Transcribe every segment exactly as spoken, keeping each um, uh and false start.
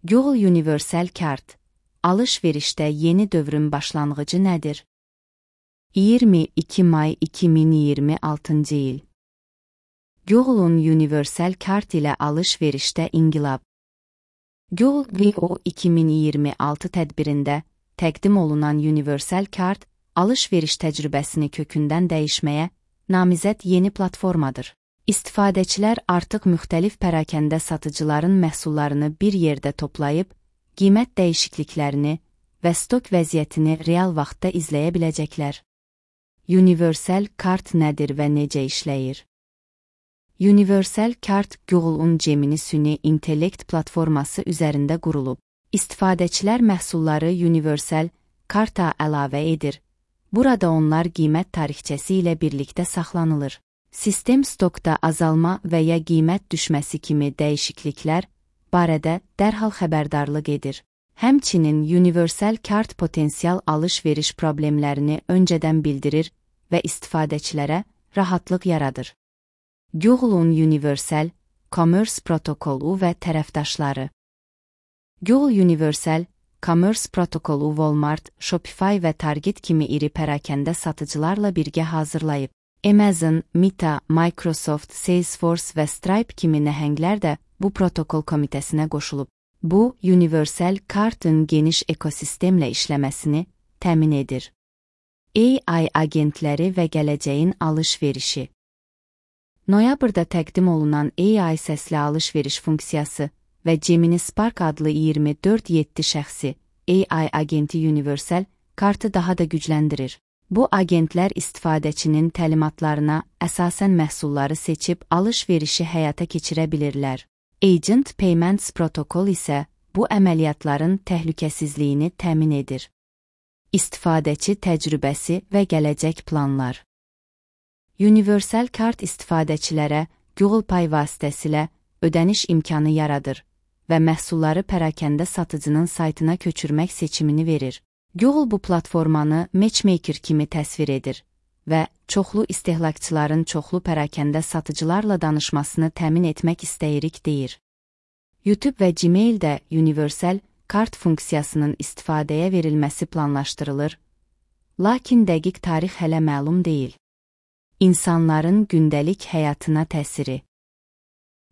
Google Universal Cart, alış-verişdə yeni dövrün başlanğıcı nədir? iyirmi iki may iki min iyirmi altıncı il. Google'un Universal Cart ilə alış-verişdə inqilab. Google I O iki min iyirmi altı tədbirində təqdim olunan Universal Cart, alış-veriş təcrübəsini kökündən dəyişməyə namizəd yeni platformadır. İstifadəçilər artıq müxtəlif pərakəndə satıcıların məhsullarını bir yerdə toplayıb, qiymət dəyişikliklərini və stok vəziyyətini real vaxtda izləyə biləcəklər. Universal Cart nədir və necə işləyir? Universal Cart Google'un Gemini süni intellekt platforması üzərində qurulub. İstifadəçilər məhsulları Universal Cart'a əlavə edir. Burada onlar qiymət tarixçəsi ilə birlikdə saxlanılır. Sistem stokda azalma və ya qiymət düşməsi kimi dəyişikliklər barədə dərhal xəbərdarlıq edir. Həmçinin Universal Cart potensial alış-veriş problemlərini öncədən bildirir və istifadəçilərə rahatlıq yaradır. Google'un Universal Commerce protokolu və tərəfdaşları. Google Universal Commerce protokolu Walmart, Shopify və Target kimi iri pərakəndə satıcılarla birgə hazırlayıb. Amazon, Meta, Microsoft, Salesforce və Stripe kimi nəhənglər də bu protokol komitəsinə qoşulub. Bu, Universal Cart'ın geniş ekosistemlə işləməsini təmin edir. A I agentləri və gələcəyin alış-verişi. Noyabrda təqdim olunan A I səsli alış-veriş funksiyası və Gemini Spark adlı iyirmi dörd yeddi şəxsi A I agenti Universal Cart'ı daha da gücləndirir. Bu agentlər istifadəçinin təlimatlarına əsasən məhsulları seçib alış-verişi həyata keçirə bilirlər. Agent Payments protokol isə bu əməliyyatların təhlükəsizliyini təmin edir. İstifadəçi təcrübəsi və gələcək planlar. Universal Cart istifadəçilərə Google Pay vasitəsilə ödəniş imkanı yaradır və məhsulları pərakəndə satıcının saytına köçürmək seçimini verir. Google bu platformanı matchmaker kimi təsvir edir və çoxlu istehlakçıların çoxlu pərakəndə satıcılarla danışmasını təmin etmək istəyirik deyir. YouTube və Gmail də Universal Cart funksiyasının istifadəyə verilməsi planlaşdırılır, lakin dəqiq tarix hələ məlum deyil. İnsanların gündəlik həyatına təsiri.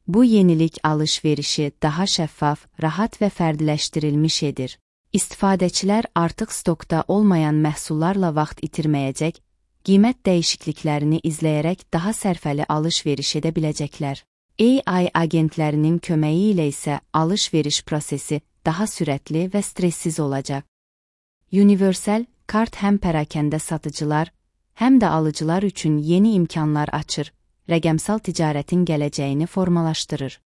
Bu yenilik alış-verişi daha şəffaf, rahat və fərdiləşdirilmiş edir. İstifadəçilər artıq stokda olmayan məhsullarla vaxt itirməyəcək, qiymət dəyişikliklərini izləyərək daha sərfəli alış-veriş edə biləcəklər. A I agentlərinin köməyi ilə isə alış-veriş prosesi daha sürətli və stressiz olacaq. Universal Cart həm pərakəndə satıcılar, həm də alıcılar üçün yeni imkanlar açır, rəqəmsal ticarətin gələcəyini formalaşdırır.